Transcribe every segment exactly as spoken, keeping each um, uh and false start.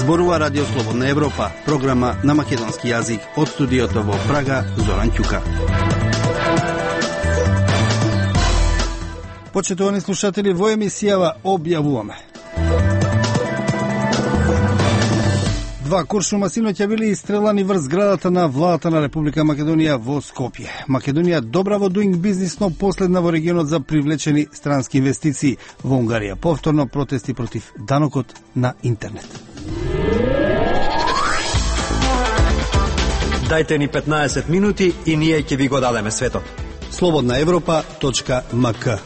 Зборува Радио Слободна Европа, програма на македонски јазик од студиото во Прага, Зоран Ќука. Почитувани слушатели, во емисијава објавуваме: два куршума синоќа били истрелани врз зградата на владата на Република Македонија во Скопје. Македонија добра во дуинг бизнис, но последна во регионот за привлечени странски инвестиции. Во Унгарија повторно протести против данокот на интернет. Дајте ни петнаесет минути и ние ќе ви го дадеме светот. слободна европа точка ем ка.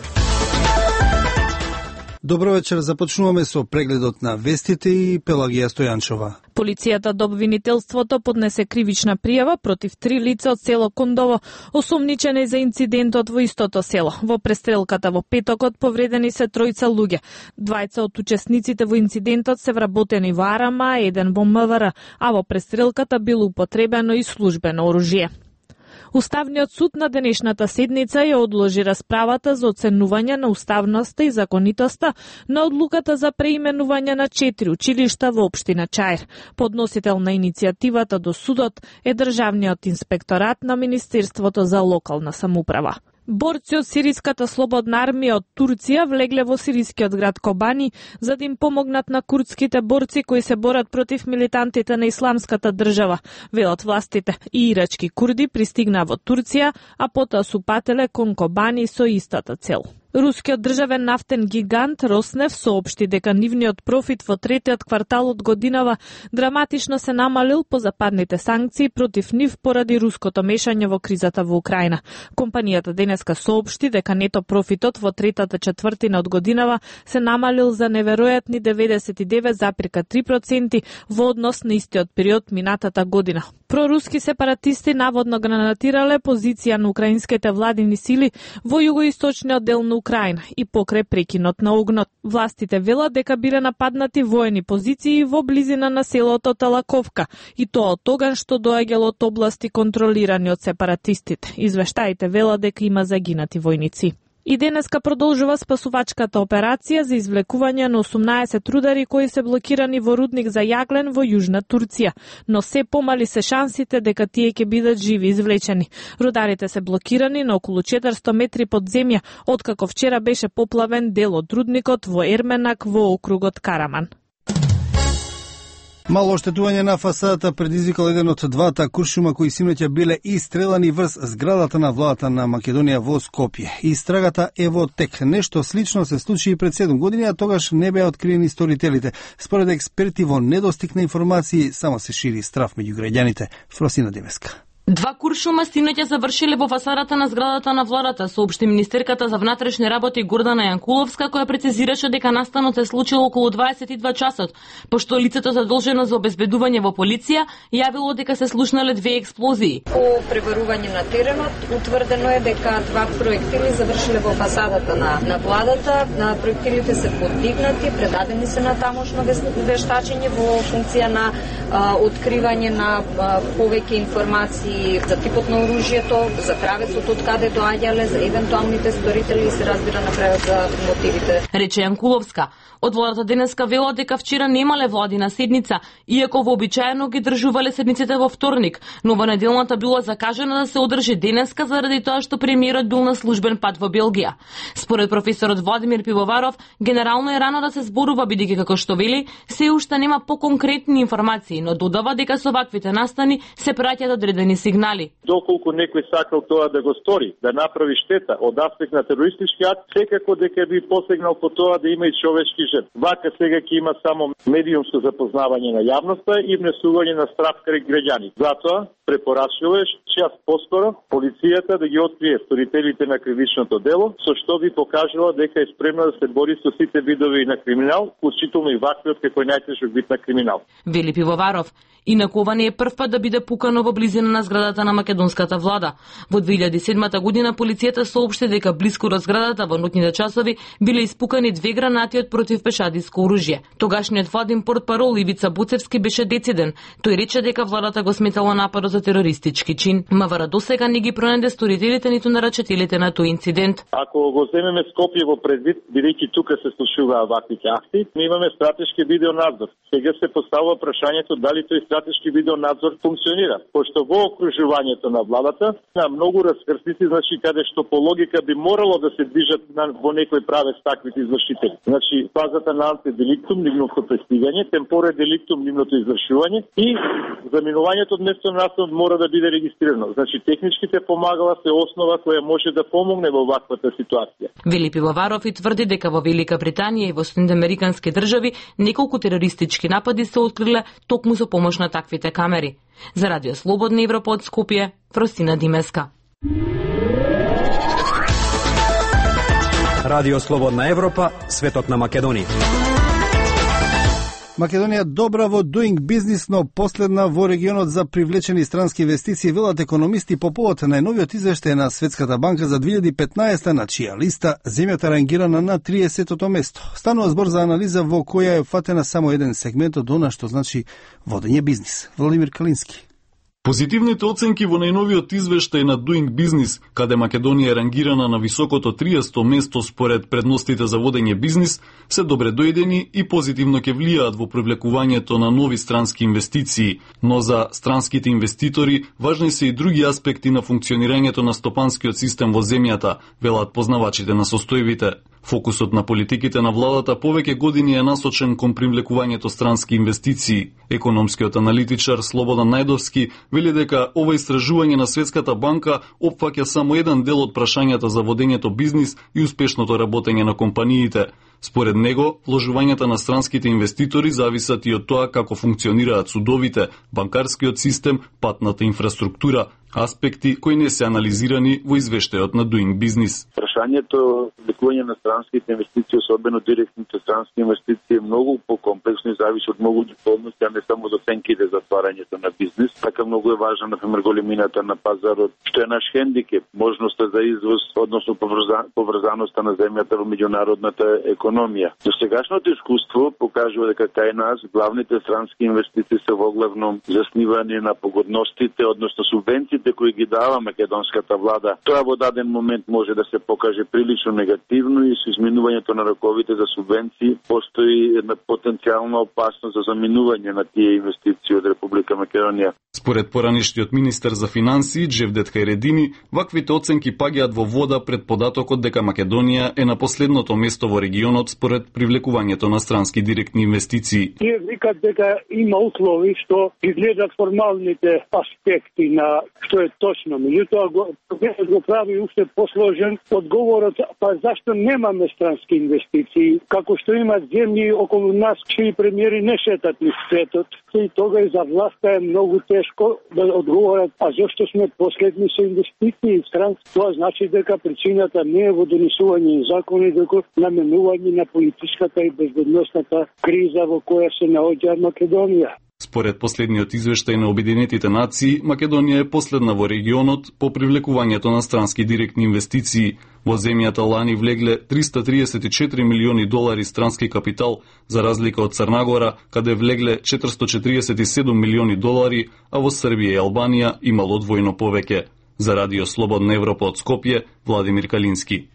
Добро вечер, започнуваме со прегледот на вестите и Пелагија Стојанчова. Полицијата до обвинителството поднесе кривична пријава против три лица од село Кондово, осумничени за инцидентот во истото село. Во престрелката во петокот повредени се тројца луѓе. Двајца од учесниците во инцидентот се вработени во Арама, еден во М В Р, а во престрелката било употребено и службено оружје. Уставниот суд на денешната седница ја одложи расправата за оценување на уставноста и законитоста на одлуката за преименување на четири училишта во општина Чаир. Подносител на иницијативата до судот е Државниот инспекторат на Министерството за локална самоуправа. Борци од Сириската слободна армија од Турција влегле во сирискиот град Кобани за да им помогнат на курдските борци кои се борат против милитантите на Исламската држава. Велат властите, и ирачки курди пристигнаа во Турција, а потоа су пателе кон Кобани со истата цел. Рускиот државен нафтен гигант Роснеф соопшти дека нивниот профит во третиот квартал од годинава драматично се намалил по западните санкции против нив поради руското мешање во кризата во Украина. Компанијата денеска соопшти дека нето профитот во третата четвртина од годинава се намалил за неверојатни деветдесет и девет зарез три проценти во однос на истиот период минатата година. Проруски сепаратисти наводно гранатирале позиција на украинските владини сили во југоисточниот дел на Украина и покрај прекинот на огнот. Властите велат дека биле нападнати воени позиции во близина на селото Талаковка, и тоа од тогаш што доаѓало од области контролирани од сепаратистите. Извештаите велат дека има загинати војници. И денеска продолжува спасувачката операција за извлекување на осумнаесет рудари кои се блокирани во рудник за јаглен во Јужна Турција, но се помали се шансите дека тие ќе бидат живи извлечени. Рударите се блокирани на околу четиристо метри под земја, откако вчера беше поплавен дел од рудникот во Ерменак во округот Караман. Мало оштетување на фасадата предизвикал еден од двата куршума кои синоќа биле истрелани врз зградата на владата на Македонија во Скопје. Истрагата е во тек. Нешто слично се случи и пред седум години, а тогаш не беа откриени сторителите. Според експерти, во недостиг на информации само се шири страв меѓу граѓаните. Фросина Демеска. Два куршума синоќа завршиле во фасадата на зградата на владата, соопшти министерката за внатрешни работи Гордана Јанкуловска, која прецизираше дека настанот се случил околу дваесет и два часот, пошто лицето задолжено за обезбедување во полиција јавило дека се слушнале две експлозии. По пребарување на теренот утврдено е дека два проектили завршиле во фасадата на, на владата. На проектилите се подигнати, предадени се на тамошно вештачење во функција на а, откривање на а, повеќе информации за типот на оружјето, за правецот од каде доаѓале, за евентуалните сторители и се разбира на крајот за мотивите. Рече Јанкуловска. Од владата денеска вела дека вчера немале владина седница, иако вообичаено ги држувале седниците во вторник, но во неделната било закажано да се одржи денеска заради тоа што премиерот бил на службен пат во Белгија. Според професорот Владимир Пивоваров, генерално е рано да се зборува бидејќи како што вели, се уште нема поконкретни информации, но додава дека со ваквите настани се праќаат одредени сигнали. Доколку некој сакал тоа да го стори, да направи штета од аспект на терористички акт, секако дека би посегнал по тоа да има и човечки жртви. Вака сега ќе има само медиумско запознавање на јавноста и внесување на страв кај граѓани. Затоа препорачуваш час поскоро полицијата да ги открие сторителите на кривичното дело, со што би покажала дека е спремна да се бори со сите видови на криминал, вклучително и ваквиот како најтежок вид на криминал. Вели Пивоваров. Инаку ова не е прв пат да биде пукано во близина на зградата зградата на македонската влада. Во две илјади и седма година полицијата соопшти дека блиску до зградата во ноќните часови биле испукани две гранати од противпешадиско оружје. Тогашниот владин портпарол Ивица Буцевски беше дециден. Тој рече дека владата го сметала нападот за терористички чин. МВР досега не ги пронајде сторителите ниту нарачителите на тој инцидент. Ако го земеме Скопје во предвид, бидејќи тука се случуваат ваквите акти, ми имаме стратешки видеонадзор. Сега се поставува прашањето дали тој стратешки видеонадзор функционира, пошто во окружувањето на владата на многу раскрстици, значи каде што по логика би морало да се движат на, во некој правец таквите извршители. Значи фазата на антиделиктум, нивното пристигање, темпоре деликтум, нивното извршување и заминувањето од место на настан мора да биде регистрирано. Значи техничките помагала се основа која може да помогне во ваквата ситуација. Вели Пивоваров и тврди дека во Велика Британија и во Соединените американски држави неколку терористички напади се откриле токму со помош на таквите камери. За Радио Слободна Европа од Скопје, Фростина Димеска. Радио Слободна Европа, светот на Македонија. Македонија добра во doing business, но последна во регионот за привлечени странски инвестиции, велат економисти по повод најновиот извештај на Светската банка за две илјади и петнаесета, на чија листа земјата рангирана на триесетото место. Станува збор за анализа во која е фатена само еден сегмент од она што значи водење бизнис. Владимир Калински. Позитивните оценки во најновиот извештај на Doing Business, каде Македонија е рангирана на високото триесето место според предностите за водење бизнис, се добре дојдени и позитивно ќе влијаат во привлекувањето на нови странски инвестиции, но за странските инвеститори важни се и други аспекти на функционирањето на стопанскиот систем во земјата, велат познавачите на состојбите. Фокусот на политиките на владата повеќе години е насочен кон привлекувањето странски инвестиции. Економскиот аналитичар Слободан Најдовски вели дека ова истражување на Светската банка опфаќа само еден дел од прашањата за водењето бизнис и успешното работење на компаниите. Според него, вложувањата на странските инвеститори зависат и од тоа како функционираат судовите, банкарскиот систем, патната инфраструктура, аспекти кои не се анализирани во извештајот на Doing Business. Прашањето привлекување на странските инвестиции, особено директните странски инвестиции, е многу покомплексно и зависи од многу околности, а не само за оценките за отварањето на бизнис. Така многу е важна, например, големината на пазарот, што е наш хендикеп, можноста за извоз, односно поврзаноста на земјата во меѓународната економија. До сегашното искуство покажува дека кај нас главните странски инвестиции се воглавно заснивани на погодностите, односно субвенциите кои ги дава македонската влада. Тоа во даден момент може да се покаже прилично негативно и со изминувањето на роковите за субвенции постои една потенцијална опасност за заминување на тие инвестиции од Република Македонија. Според поранешниот министер за финансии Джевдет Хајредини, ваквите оценки паѓаат во вода пред податокот дека Македонија е на последното место во регионот според привлекувањето на странски директни инвестиции. Тие викат дека има услови што изгледат формалните аспекти на што е точно. Меѓутоа го, го прави уште посложен одговорот, па зашто немаме странски инвестиции, како што имат земји околу нас чии премиери не шетат низ светот. И тога и за власта е многу тешко да одговорат, а зашто сме последни со инвестиции странски. Тоа значи дека причината не е во донесување закони, дека наменување на политичката и безбедносната криза во која се наоѓа Македонија. Според последниот извештај на Обединетите нации, Македонија е последна во регионот по привлекувањето на странски директни инвестиции. Во земјата лани влегле триста триесет и четири милиони долари странски капитал, за разлика од Црнагора, каде влегле четиристотини и четириесет и седум милиони долари, а во Србија и Албанија имало двојно повеќе. За Радио Слободна Европа од Скопје, Владимир Калински.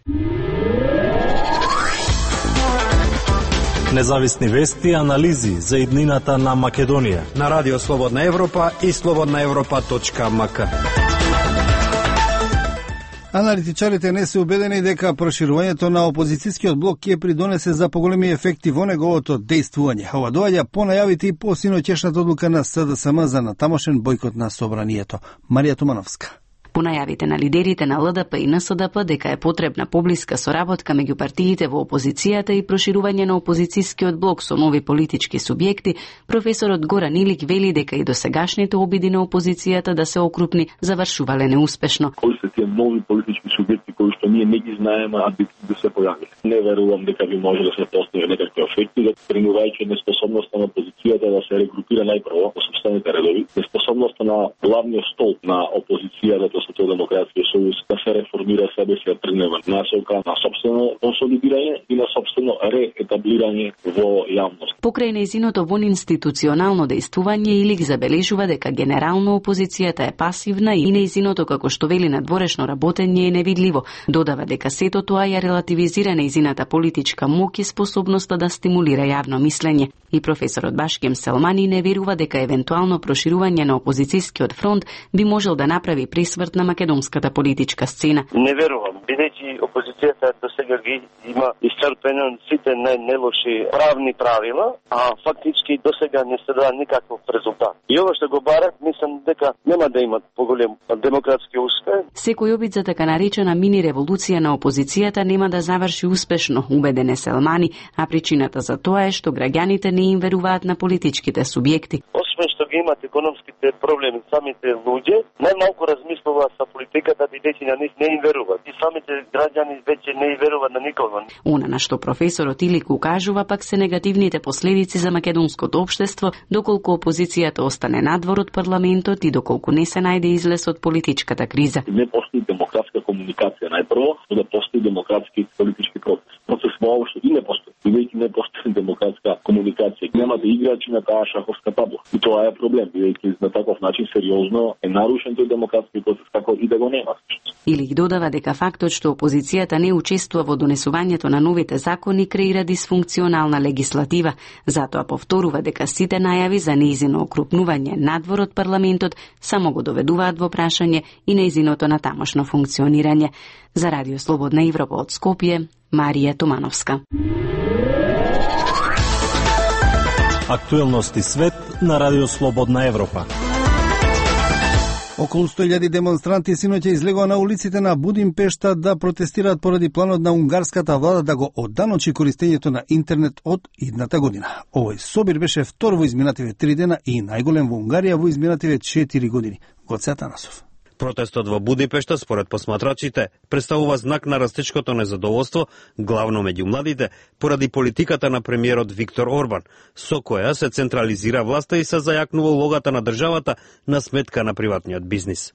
Независни вести и анализи за иднината на Македонија на Радио Слободна Европа и слободна европа точка м к. Аналитичарите не се убедени дека проширувањето на опозицијскиот блок ќе придонесе за поголеми ефекти во неговото дејствување. Ова доаѓа по најавите и по синоќешната одлука на С Д С М за натамошен бојкот на собранието. Марија Тумановска. По најавите на лидерите на Л Д П и Н С Д П дека е потребна поблиска соработка меѓу партиите во опозицијата и проширување на опозицијскиот блок со нови политички субјекти, професорот Горан Илик вели дека и досегашните обиди на опозицијата да се окрупни завршувале неуспешно. Кои се тие нови политички субјекти кои што ние не ги знаеме, а би да се појавиле? Не верувам дека би може да се постигне некакви ефекти, да тренувајќи неспособноста на опозицијата да се регрупира најпрво во собствените редови, неспособноста на главниот стол на опозицијата, тоа со Демократскиот сојуз, да се реформира себе си, да тргне насока на собствено консолидирање и на собствено реетаблирање во јавност. Покрај нејзиното вонинституционално дејствување, Илик забележува дека генерално опозицијата е пасивна и нејзиното, како што вели, надворешно работење е невидливо. Додава дека сето тоа ја релативизира нејзината политичка моќ и способноста да стимулира јавно мислење. И професорот Башкем Селмани не верува дека евентуално проширување на опозицијскиот фронт би можел да направи пресврт на македонската политичка сцена. Не верувам, бидејќи опозицијата до сега ги има исцрпено сите најнелоши правни правила, а фактички до сега не се дава никаков резултат. И ова што го барат, мислам дека нема да имат поголем демократски успех. Секој обид за така наречена мини револуција на опозицијата нема да заврши успешно, убеден е Селмани, а причината за тоа е што граѓаните не им веруваат на политичките субјекти. Освен што ги имат економските проблеми, самите луѓе најмалку размислуваат за политиката, бидејќи на нив не им веруваат. И самите граѓани веќе не им веруваат на никого. Она на што професорот Илик укажува пак се негативните последици за македонското општество, доколку опозицијата остане надвор од парламентот и доколку не се најде излез од политичката криза. Не постои демократска комуникација најпрво, но да постои демократски политички процес. Процес воопшто и не постои. Бидејќи не постои демократска комуникација, нема да играчи на таа шаховска табла. И тоа е проблем, бидејќи на таков начин сериозно е нарушен тој демократски процес, како и да го нема. Илик додава дека фактот што опозицијата не учествува во донесувањето на новите закони креира дисфункционална легислатива, затоа повторува дека сите најави за нејзино окрупнување надвор од парламентот само го доведуваат во прашање и нејзиното натамошно функционирање. За Радио Слободна Европа од Скопје, Марија Томановска. Актуелности свет на Радио Слободна Европа. Околу сто илјади демонстранти синоќа излегоа на улиците на Будимпешта да протестираат поради планот на унгарската влада да го одданочи користењето на интернет од идната година. Овој собир беше втор во изминативе три дена и најголем во Унгарија во изминативе четири години. Гоце Атанасов. Протестот во Будипешта, според посматрачите, представува знак на растечкото незадоволство, главно меѓу младите, поради политиката на премиерот Виктор Орбан, со која се централизира власта и се зајакнува улогата на државата на сметка на приватниот бизнис.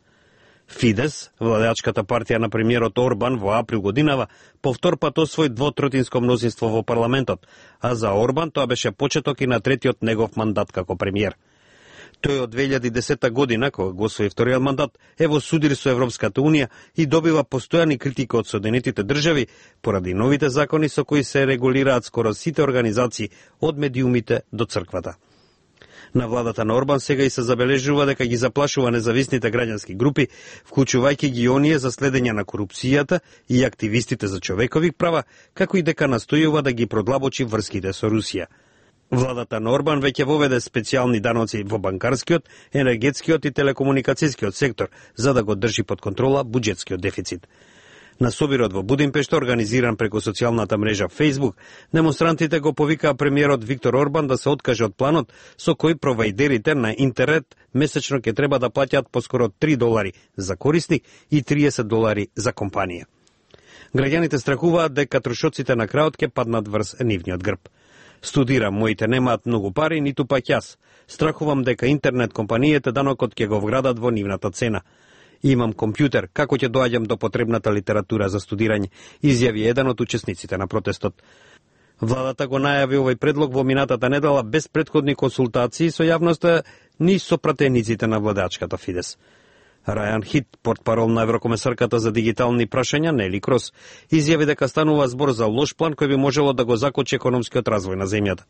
Фидес, владеачката партија на премиерот Орбан во април годинава, повтор пат освои двотротинско мнозинство во парламентот, а за Орбан тоа беше почеток и на третиот негов мандат како премиер. Тој од две илјади и десета година, кога го освои вториот мандат, е во судир со Европската Унија и добива постојани критики од Соединетите држави поради новите закони со кои се регулираат скоро сите организации од медиумите до црквата. На владата на Орбан сега и се забележува дека ги заплашува независните граѓански групи, вклучувајќи ги оние за следење на корупцијата и активистите за човекови права, како и дека настојува да ги продлабочи врските со Русија. Владата на Орбан веќе воведе специјални даноци во банкарскиот, енергетскиот и телекомуникацијскиот сектор, за да го држи под контрола буџетскиот дефицит. На собирот во Будимпешта, организиран преку социјалната мрежа Facebook, демонстрантите го повикаа премиерот Виктор Орбан да се откаже од планот со кој провајдерите на интернет месечно ќе треба да плаќаат поскоро три долари за корисник и триесет долари за компанија. Граѓаните страхуваат дека трошоците на крајот ќе паднат врз нивниот грб. Студирам, моите немаат многу пари, ниту пак јас. Страхувам дека интернет компанијите данокот ќе го вградат во нивната цена. Имам компјутер, како ќе доаѓам до потребната литература за студирање, изјави еден од учесниците на протестот. Владата го најави овој предлог во минатата недела без претходни консултации со јавноста ни со пратениците на владеачката Фидес. Рајан Хит, портпарол на Еврокомесарката за дигитални прашања, Нели Крос, изјави дека станува збор за лош план кој би можело да го закочи економскиот развој на земјата.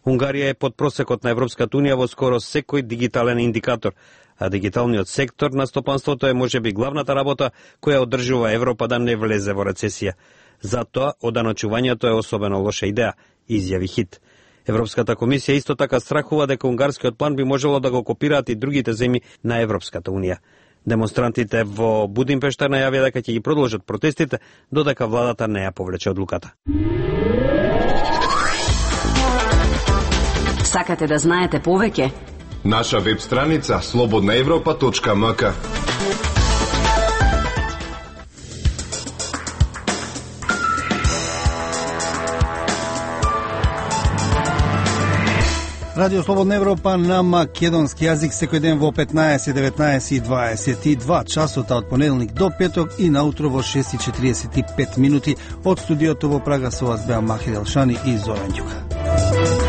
Унгарија е под просекот на Европската Унија во скоро секој дигитален индикатор, а дигиталниот сектор на стопанството е можеби главната работа која одржува Европа да не влезе во рецесија. Затоа оданочувањето е особено лоша идеја, изјави Хит. Европската комисија исто така страхува дека унгарскиот план би можело да го копираат и другите земји на Европската Унија. Демонстрантите во Будимпешта најавија дека ќе ги продолжат протестите додека владата не ја повлече одлуката. Сакате да знаете повеќе? Наша веб страница слободна европа точка ем ка. Радио Слободна Европа на македонски јазик секој ден во петнаесет, деветнаесет и дваесет и два часота од понеделник до петок и наутро во шест и четириесет и пет минути од студиото во Прага со вас беа Махи Делшани и Зоран Ѓука.